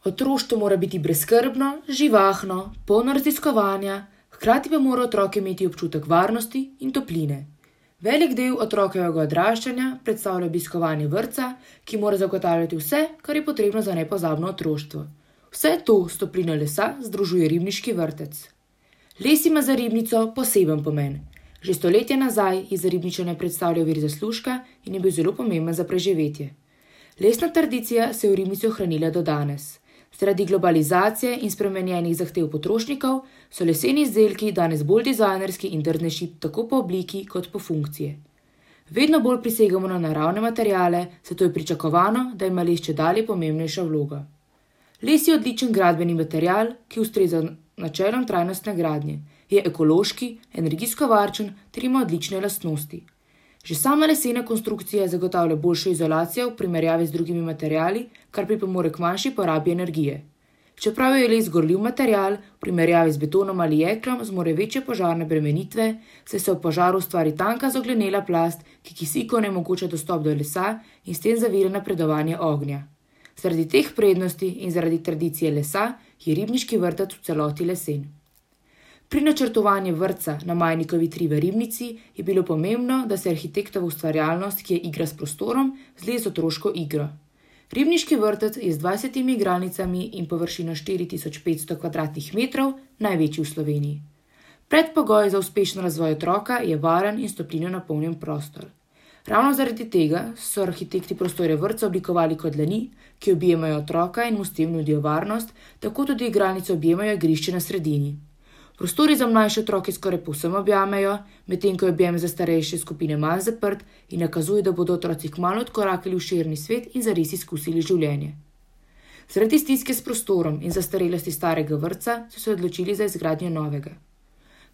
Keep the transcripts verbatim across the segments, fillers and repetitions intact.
Otroštvo mora biti brezskrbno, živahno, polno raziskovanja, hkrati pa mora otrok imeti občutek varnosti in topline. Velik del otrokovega odraščanja predstavlja obiskovanje vrtca, ki mora zagotavljati vse, kar je potrebno za nepozabno otroštvo. Vse to s toplino lesa združuje ribniški vrtec. Les ima za ribnico poseben pomen. Že stoletja nazaj je za Ribničane predstavljal vir zaslužka in je bil zelo pomemben za preživetje. Lesna tradicija se je v Ribnici ohranila do danes. Zaradi globalizacije in spremenjenih zahtev potrošnikov so leseni izdelki danes bolj dizajnerski in drznejši tako po obliki kot po funkciji. Vedno bolj prisegamo na naravne materiale, zato je pričakovano, da ima les čedalje pomembnejšo vlogo. Les je odličen gradbeni material, ki ustreza načelom trajnostne gradnje. Je ekološki, energijsko varčen ter ima odlične lastnosti. Že sama lesena konstrukcija zagotavlja boljšo izolacijo v primerjavi z drugimi materiali, kar pripomore k manjši porabi energije. Čeprav je les gorljiv material, v primerjavi z betonom ali jeklom zmore večje požarne bremenitve, saj se v požaru ustvari tanka zoglenela plast, ki kisiku onemogoča dostop do lesa in s tem zavira napredovanje ognja. Zaradi teh prednosti in zaradi tradicije lesa je ribniški vrtec v celoti lesen. Pri načrtovanju vrtca na Majnikovi tri v Ribnici je bilo pomembno, da se arhitektova ustvarjalnost, ki je igra s prostorom, zlije z otroško igro. Ribniški vrtec je z dvajsetimi igralnicami in površino štiri tisoč petsto kvadratnih metrov največji v Sloveniji. Predpogoj za uspešen razvoj otroka je varen in s toplino napolnjen prostor. Ravno zaradi tega so arhitekti prostore vrtca oblikovali kot dlani, ki objemajo otroka in mu s tem nudijo varnost, tako tudi igralnice objemajo igrišče na sredini. Prostori za mlajše otroke skoraj povsem objamejo, medtem ko je objem za starejše skupine manj zaprt in nakazuje, da bodo otroci kmalu odkorakali v širni svet in zares izkusili življenje. Zaradi stiske s prostorom in zastarelosti starega vrtca so se odločili za izgradnjo novega.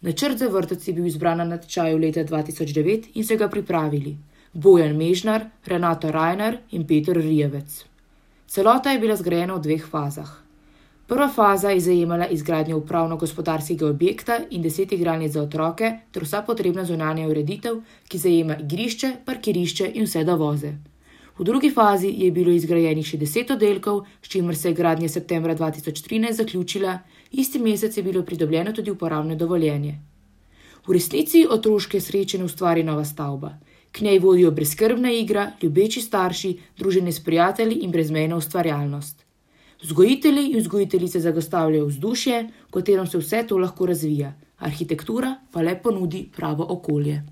Načrt za vrtec je bil izbran na natečaju leta dva tisoč devet in so ga pripravili Bojan Mežnar, Renato Rajnar in Peter Rijevec. Celota je bila zgrajena v dveh fazah. Prva faza je zajemala izgradnjo upravno-gospodarskega objekta in deset igralnic za otroke ter vsa potrebna zunanja ureditev, ki zajema igrišče, parkirišče in vse dovoze. V drugi fazi je bilo izgrajenih še deset oddelkov, s čimer se je gradnja septembra dva tisoč trinajst zaključila, isti mesec je bilo pridobljeno tudi uporabno dovoljenje. V resnici otroške sreče ne ustvari nova stavba. K njej vodijo brezskrbna igra, ljubeči starši, druženje s prijatelji in brezmejna ustvarjalnost. Vzgojitelji in vzgojiteljice zagotavljajo vzdušje, v katerem se vse to lahko razvija, arhitektura pa le ponudi pravo okolje.